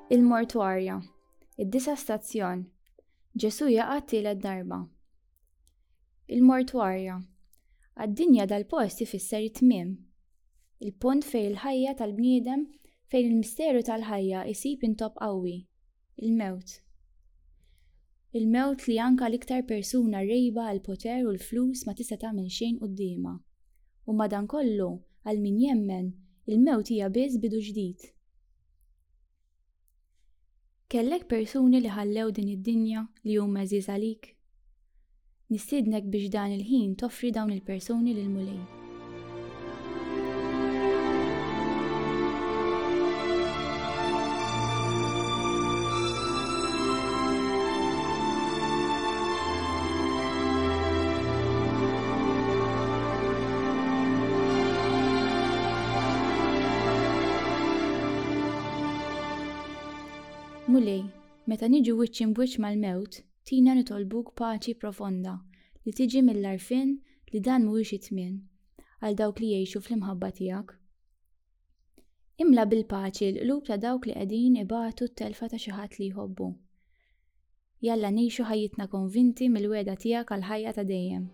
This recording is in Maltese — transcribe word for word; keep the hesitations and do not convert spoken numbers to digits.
Il-Mortwarja, id-disa' stazzjon, Ġesù jaqa' t-tielet darba. Il-Mortwarja, għad-dinja dal-post ifisser it-tmiem. Il-punt fejn il-ħajja tal-bniedem, fejn il-misteru tal-ħajja isib intopp qawwi, il-mewt. Il-mewt li anka l-iktar persuna rgħiba għall-poter u l-flus ma tista' tagħmel xejn quddiemha. U madankollu, għal min jemmen, il-mewt hija biss bidu ġdid. Kellek persuni li ħallew din id-dinja li huma għeżież għalik? Nistiednek biex dan il-ħin toffri dawn il-persuni lill-Mulej. Mulej, meta niġu wiċċ imbwiċċ mal-mewt, tina nitolbuk paċi profonda li tiġi mill-għarfien li dan mhuwiex it-tmiem għal dawk li jgħixu fl-imħabba tiegħek. Imla bil-paċi l-qlub ta' dawk li qegħdin ibatu t-telfa ta' xi ħadd li jħobbu. Jalla ngħixu ħajjitna konvinti mill-wegħda tiegħek għall-ħajja ta' dejjem.